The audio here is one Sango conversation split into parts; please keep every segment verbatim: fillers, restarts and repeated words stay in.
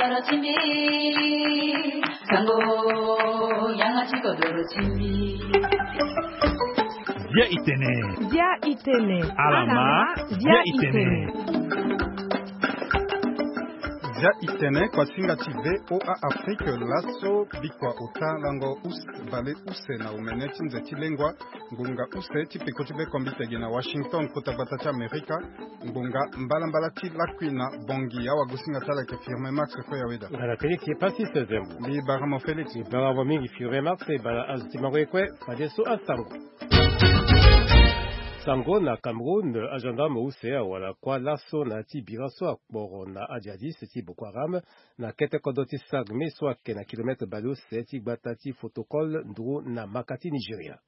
Dia itene. Dia itene. Alama. Dia itene. Dia itene, kuasinga ti VOA Afrique laso, bikua ota lango use, bale use na omene ti nze ti lengua, ngonga use ti peko ti be kombite gi na Washington, kota gbata ti Amerika. Ngonga mbalambala ti lakui na Bangui. Awagosinga ti ala ayeke Firme Max, kue ya weda. Ngana Félix ye Passis Zembo. Mbi bara mo Félix. Mbi bara mo mingi Firme Max, e bara azo ti mango ye kue, fadeso asango. Sango na Cameroun, agendarme use awara kuâ laso na ya ti bira so akporo na ajihadiste ti Boko Haram na kete kodro ti Sarmé so ayeke na kilomètre baleuse ti gbata ti Fotokol, nduru na maka ti Nigeria.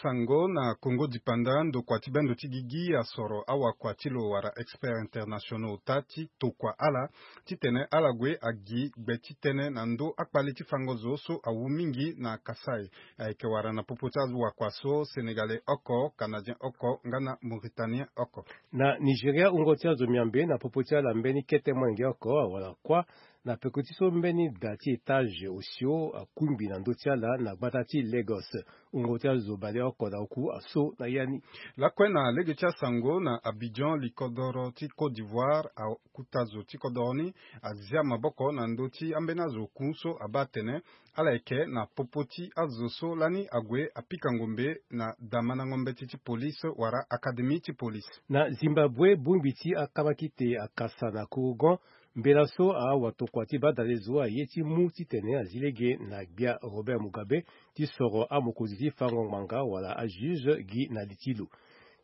Sango na Congo dipanda, ndokua ti bendo ti gigi asoro awakua ti lo wala experts internationaux ota ti tokua ala titene ala gue agi gbe ti tënë na ndö akpale ti fango zo so awu mingi na Kasaï. Ayeke wara na popo ti awakua so Sénégalais oko, Canadien oko nga na Mauritanien oko. Na Nigeria, wungo ti azo miambe na popo ti ala mbeni kete molenge oko awara kuâ na peko ti so mbeni da ti étage osio akungbi na ndö ti ala na gbata ti Lagos. Wungo ti azo baleoko na oku aso na ya ni. Lakue na lege ti asango na Abidjan, likodoro ti Côte d'Ivoire akuta zo ti kodoro ni azia maboko na ndö ti ambeni azo oku so abaa atene ala yeke na popo ti azo so lani ague apika ngombe na damandango mbeti ti police wala académie ti police. Na Zimbabwe, bongbi ti akabakite akasa na korogon mbela so awatokua ti badalezo aye ti mu titene azi lege na gbia Robert Mugabe ti soro amokonzi ti fango ngbanga wala ajuge gi na li ti lo.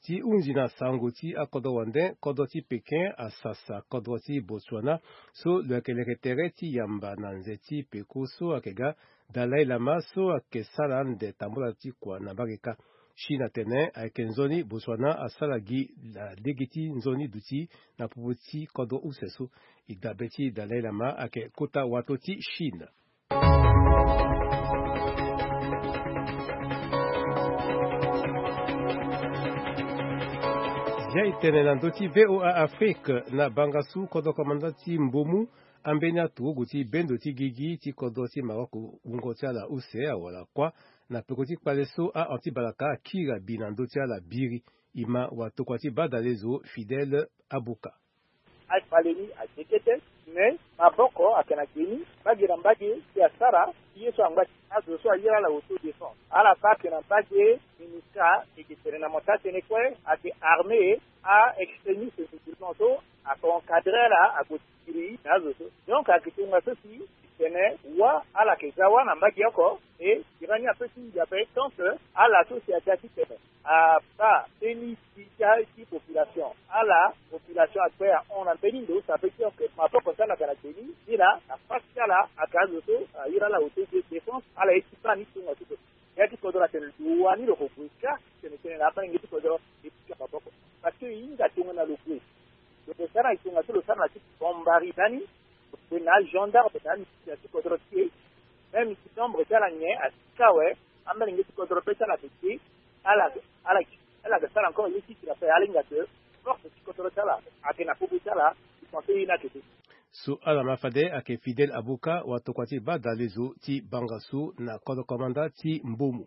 Ti hunzi na sango ti akodro wande, kodro ti Pékin asasa kodro ti Botswana so lo yeke leke tere ti yamba na nze ti peko so ayeke ga Dalai Lama so ayeke sara ande tambula ti kua na mbage kâ. Chine atene ayeke nzoni Botswana asara gi na lege ti nzoni duti na popo ti kodro use so. E dabe ti Dalai Lama ayeke kota wato ti Chine. Zia e tene na ndö ti VOA Afrique na bangasu kodro komanda ti Mbomu, ambeni aturugu ti bendo ti gigi ti kodro ti Maroc wungo ti ala use awara kuâ na peko ti kpale so a-anti-balaka akiri abi na ndö ti ala biri. E ma watokua ti badalezo Fidèle Abuka. Akpale ni aye kete, me maboko ayeke na ge ni, mbage na mbage si asara ti ye so angba ti azo so ayere ala autodéfense. Ala baa ayeke na mbage MINUSCA, e yeke tene na mo taa tënë kue ayeke armée a-extrémiste musulman so ayeke encadrer ala ague ti kiri na azo so. Donc ayeke tongaso si e tene wâ ala yeke za wâ na mbage oko, e bira ni apeut ti ndia ape tant que ala so si aga titene abaa mbeni ti, ti population. Ala population akpe ahon na mbeni ndo, ça veut dire que maboko ti ala ayeke na ge ni, ni laa na face ti ala ayeke azo so ayere ala autodéfense, ala ye ti baa ni tongaso so. Ya ti kodro atene lo wani lo ko gue kâ, tene tene na amolenge ti kodro e pika maboko. Parce que e hinga tongana lo gue, lo ke sara na e tongaso lo sara na ti bombari ndani, lo gue na agendarme na amilitaire ti kodro ti e. Même si nombre ti ala nyen asi kâ awe, amolenge ti kodro be ti ala ayeke te, ala, ala, ala yeke sara encore ye ti tene ape, ala hinga que force ti kodro ti ala ayeke na popo ti ala, e pense ye ni ayeke te. So ala ma fade ayeke Fidèle Abuka, watokua ti badalezo ti bangasu na kodro komanda ti Mbomu.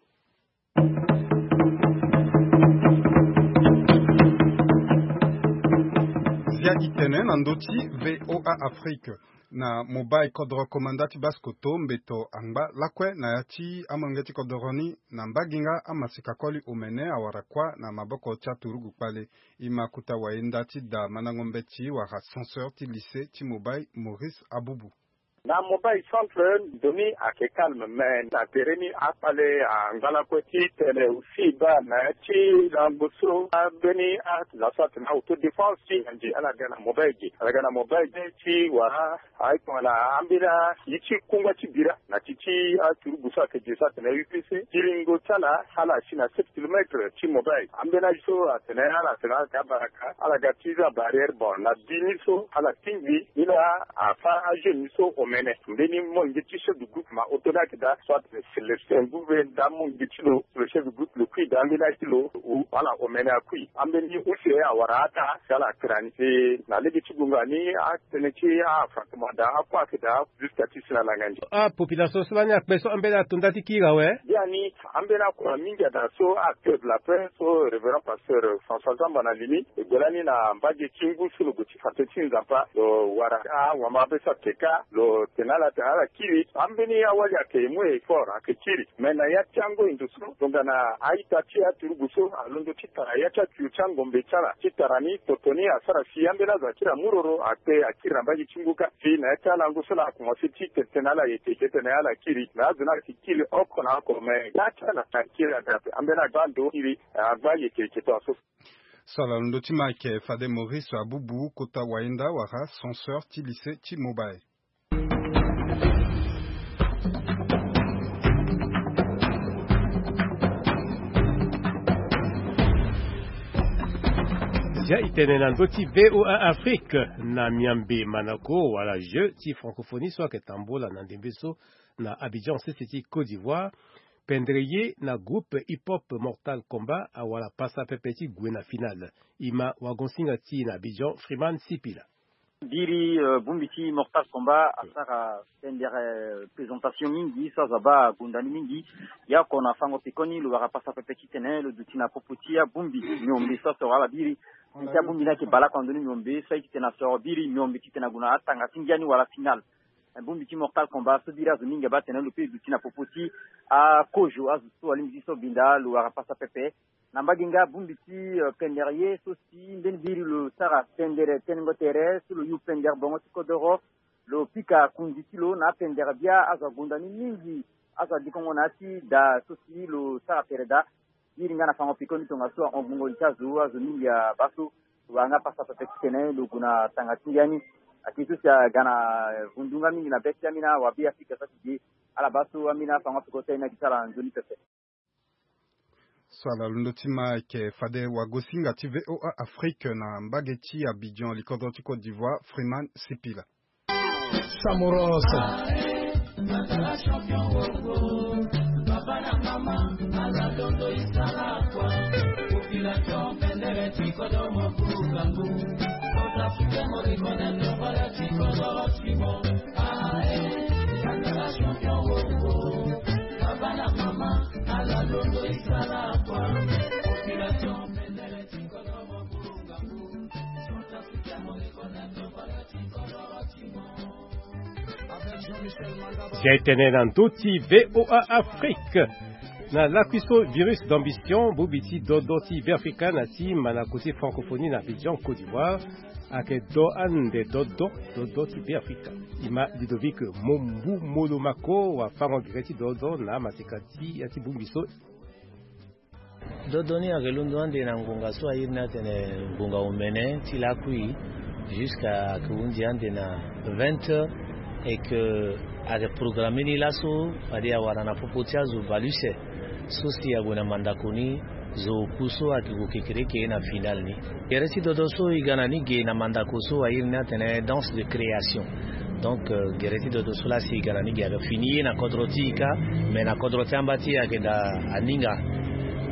Zia e tene na ndö ti VOA Afrique. Na Mobay, kodro komanda ti Basse-Kotto mbeto angba lakue na ya ti amolenge ti kodro ni na mbage nga amaseka koli omene awara kuâ na maboko ti aturugu kpale. E ma kota wayenda ti da mandango mbeti wala censeur ti lycée ti Mobay, Maurice Abubu. Na Mobay centre, ndo ni ayeke calme, mais na tere ni akpale angba lakue titene aussi e baa na ya ti lango so ambeni azo so atene autodéfense ti nganzi ala ga na Mobay ge. Ala ga na Mobay ge ti wara aye tongana ambeni aye ti kungba ti bira na ti ti aturugu so ayeke ge so atene U P C. Ti lingo ti ala, ala si na sept kilomètres ti Mobay. Ambeni aye so atene ala tene ala ga baraka, ala ga ti za barrière, bon, na bi ni so ala tingbi ni laa afâ ajeune ni so omene. Mbeni mo nge ti chef de groupe ma oto ni ayeke daa, soit Célestin Gouve nda mo nge ti lo, le chef de groupe lo kui daa, ambeni aye ti lo, ala omene akui. Ambeni use awara ata si ala kira ni. E na lege ti gonga ni atënë ti a affrontement daa akue ayeke daa jusqu'à ti si na langa ni. Apopulation so lani akpe so ambeni ato nda ti kiri awe. Biani ambeni akua mingi ada so acteur de la paix so révérend pasteur François Zamba na li ni. E gue lani na mbage ti ngu so lo gue ti fa tënë ti Nzapa, lo wara awamabe so ayeke ka, lo tene ala tene ala kiri. Ambeni awali ayeke mu effort ayeke kiri. Me na ya ti ango e ndo so tongana a-ita ti aturugu so alondo ti tara ya ti atuyo ti angombe ti ala ti tara ni toto ni asara si ambeni azo akiri amuroro akpe akiri na mbage ti ngu kâ. Si na ya ti alango so na akomanse ti tene tënë na ala yeke yeke tene ala kiri. Me azo ni ayeke kiri oko na oko me ya ti ala na kiri adape ambeni agba ndo kiri agba yeke yeke tongaso. So ala londo ti ma ayeke fade Maurice Abubu kota wayenda wala censeur ti lycée ti Mobile. Zia e tene na ndö ti V O A Afrique. Na miambe manako wala jeu ti francophonie so ayeke tambola na ndembe so na Abidjan sese ti Côte d'Ivoire, pendere ye na groupe hip-hop Mortal Kombat awara pasa pepe ti gue na finale. E ma wagonsinga ti e na Abidjan, Freeman Sipila. Biri, euh, bongbi ti Mortal Kombat asara pendere, euh, présentation mingi so azo abaa gonda ni mingi. Yaoko na fango pekoni lo wara pasa pepe ti tene lo duti na popo ti abongbi miombe so asoro ala biri. Ti abongbi ni ayeke baleoko na ndö ni miombe so aye ti tene asoro biri miombe ti tene ague na atanga ti ngia ni wala finale. Bongbi ti Mortal Kombat so biri azo mingi abaa tene lo pe duti na popo ti akozo azo so wala lingbi ti so binda lo wara pasa pepe. Na mbage nga bongbi ti, euh, pendere ye so si mbeni biri lo sara pendere tenengo tere so lo yu pendere bongo ti kodoro. Lo pika kundi ti lo na apendere bia azo agonda ni mingi. Azo adikongo na ya ti daa so si lo sara tere daa. Biri nga na fango pekoni tongaso ahon gbongo li ti azo azo mingi abaa so. Lo wara nga pasa pepe ti tene lo gue na tanga ti ngia ni. Ake so si aga na, eh, vundu nga mingi na be ti ambeni awabe Afrika so ake ge. Ala baa so ambeni afango peko ti aye ni ake ti ala nzoni pepe. So ala londo ti ma ayeke fade wagosinga ti V O A Afrique na mbage ti Abidjan, likodro ti Côte d'Ivoire, Freeman Sipila. Samoros. Zia e tene na ndö ti V O A Afrique. Na lakui so virus d'ambition, bongbi ti dodo ti Beafrika na ti manako ti francophonie na Abidjan, Côte d'Ivoire, ayeke do ande dodo, dodo ti Beafrika. E ma Ludovic Mombu Molomako wafango gere ti dodo na amaseka ti ya ti bongbi so. Dodo ni ayeke londo ande na ngonga so a iri ni atene ngonga omene ti lakui, jusqu'à ayeke hunzi ande na vingt heures, et que ayeke programme ni laso fade awara na popo ti azo bale use so si ague na mandako ni. Zo oku so ayeke gue kekereke na finale ni. Gere ti dodo so e ga na ni ge na mandako so a iri ni atene danse de création. Donc, euh, gere ti dodo so la si e ga na ni ge ayeke fini ye na kodro ti e kâ, mais na kodro ti amba ti e ayeke daa aninga.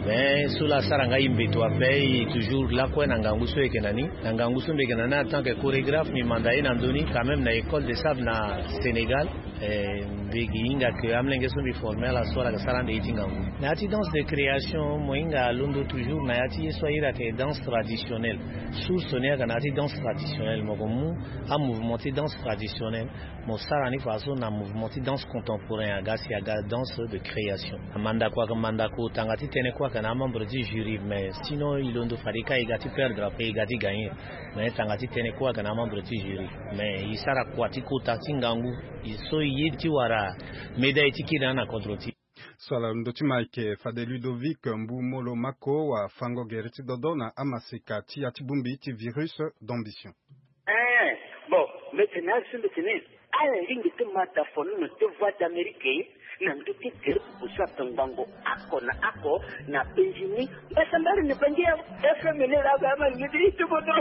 Mais so la asara nga e mbeto ape, e toujours lakue na ngangu so e yeke na ni. Na ngangu so mbi yeke na ni en tant que chorégraphe, mbi manda ye na ndö ni quand même na école de sable na Sénégal. Eh, mbi gi hinga ke amolenge so mbi forme ala so ala ga sara ande ye ti ngangu. Na ya ti danse de création, mo hinga alondo toujours na ya ti ye so a iri ayeke danse traditionnelle. Source ni aga na ya ti danse traditionnelle, mo ko mu amouvement ti danse traditionnelle, mo sara ni faso na mouvement ti danse contemporain, aga si aga danse de création. Amandako aga mandako tanga ti tënë kue aga na amembre ti jury, mais sinon e londo fade ka e ga ti perdre ape e ga ti gagner. Mais tanga ti tënë kue aga na amembre ti jury, mais e sara kua ti kota ti ngangu. E so e ye ti wara médaille ti kiri na na kodro ti. So ala ndö ti ma ayeke fade Ludovic Mbu Molo Mako wafango gere ti dodo na amaseka ti ya ti bongbi ti virus d'ambition. Eh, bon, mbi tene azo mbi tene ala lingbi ti ma da fono na ti Voix d'Amérique na ndö ti gere ti boso ape ngbongo oko na oko na penzi ni. Mbasambari ni bangi ya F M ni la ba ma ni ti bodo.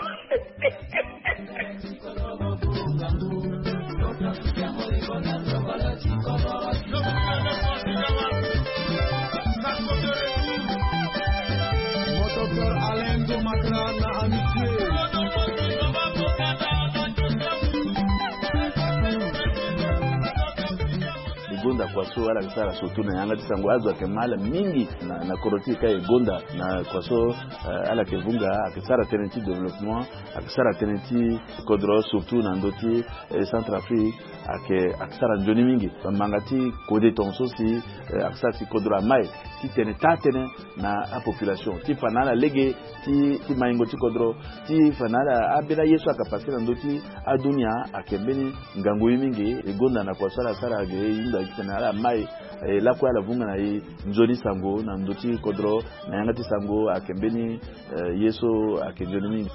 gonda kua so ala yeke sara surtout na yanga ti sango azo ayeke ma ala mingi na, na kodro ti e ka e gonda na kua so, eh, ala yeke vunga ayeke sara tënë ti développement, ayeke sara tënë ti kodro surtout na ndö ti, eh, Centrafrique ayeke, ayeke sara nzoni mingi. Bamanga ti kode tongaso si, eh, ayeke sara si kodro ama e ti tene taa tënë na apopulation ti fa na ala lege ti, ti maingo ti kodro, ti fa na ala ambeni aye so ayeke pase na ndö ti adunia ayeke mbeni ngangu ye mingi. E gonda na kua so ala sara ge e hunda ti tene ala ma e, e lakue ala vunga na e nzoni sango na ndö ti kodro na yanga ti sango ayeke mbeni, eh, ye so ayeke nzoni mingi.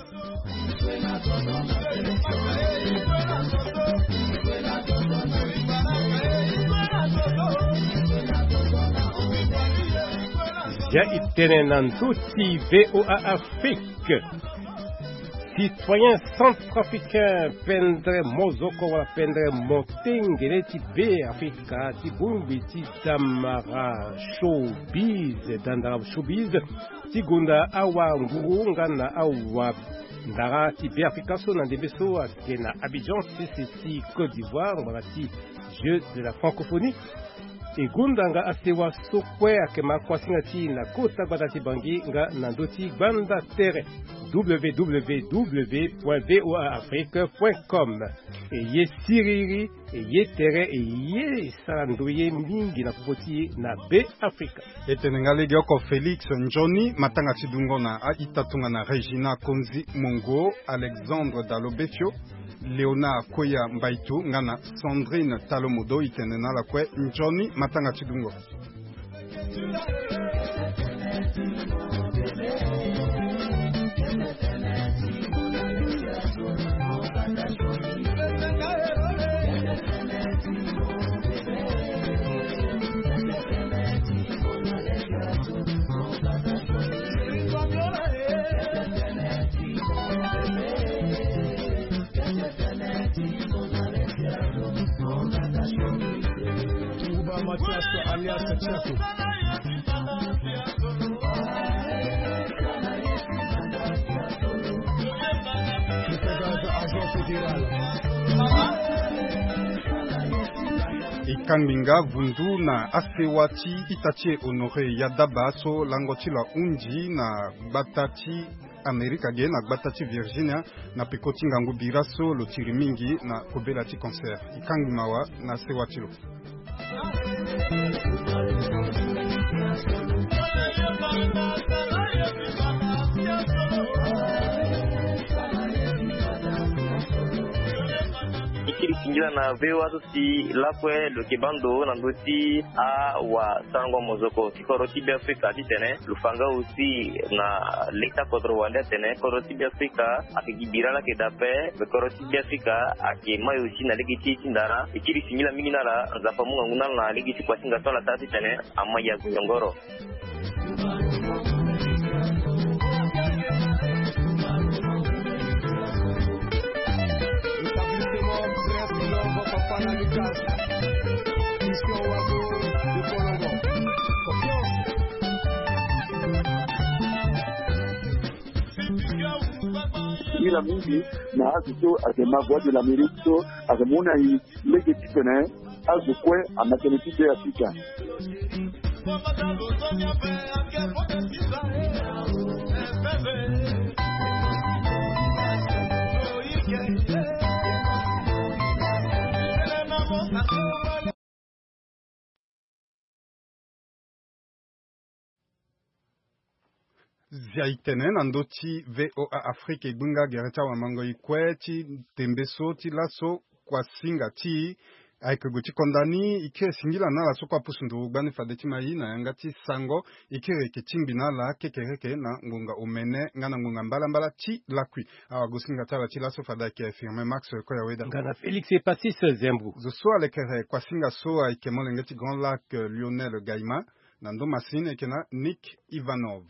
Zia e tene na ndö ti V O A Afrique. Citoyen centrafricain Pendre Mozoko wala Pendre Motengene ti Beafrika ti bongbi ti Damara Showbiz, Dandara Showbiz, ti gonda awa nguru nga na awa ndara ti Beafrika so na ndembe so ayeke na Abidjan, sese ti Côte d'Ivoire, ngbanga ti Jeux de la Francophonie. E gonda nga asewa so kue ayeke ma kuasinga ti e na kota gbata ti Bangui nga na ndö ti gbanda tere, W W W point V O A Afrique point com. E ye siriri, e ye tere, e ye sara ndoye mingi na popo ti e na Beafrika. E tene nga legeoko Félix Nzoni, matanga ti dungo na a-ita tongana Régina Konzi Mongo, Alexandre Dalo Befio, Léonard Koya Mbaitu nga na Sandrine Talo Modo. E tene na ala kue nzoni matanga ti dungo. Mathias alias Chato. E kangbi nga vundu na asewa ti ita ti e Honoré Yadaba so lango ti lo ahunzi na gbata ti Amerika ge na gbata ti Virginia, na peko ti ngangu bira so lo tiri mingi na kobela ti concert. E kangbi mawa na sewa ti lo. E kiri singila na V O A so si lakue lo yeke baa ndo na ndö ti awasarango mozoko ti kodro ti Beafrika titene lo fa nga aussi na leta kodro wande atene kodro ti Beafrika ayeke gi bira laa ayeke daa ape. Me kodro ti Beafrika ayeke mai aussi na lege ti e ti ndara. E kiri singila mingi na ala, Nzapa amu ngangu na ala na lege ti kuasinga so ala sara titene ama e ague nyongoro. Singila mingi na azo so ayeke ma Voix de l'Amérique so ayeke mu na e lege titene azo kue ama tënë ti Beafrika. Zia e tene na ndö ti V O A Afrique, e gbu nga gere ti awamango e kue ti tembe so ti laso. Kuasinga ti e ayeke gue ti konda ni. E kiri singila na ala so kue apusu nduru gbani fade ti ma e na yanga ti sango. E kiri yeke tingbi na ala kekereke na ngonga omene nga na ngonga mbalambala ti lakui. Awagosinga ti ala ti laso fade ayeke Firmin Max Koyaweda nga na Félix Epasis Zembu. Zo so alekere kuasinga so ayeke molenge ti Grand Lac, eh, Lionel Gaima. Na ndo masini ayeke na Nick Ivanov.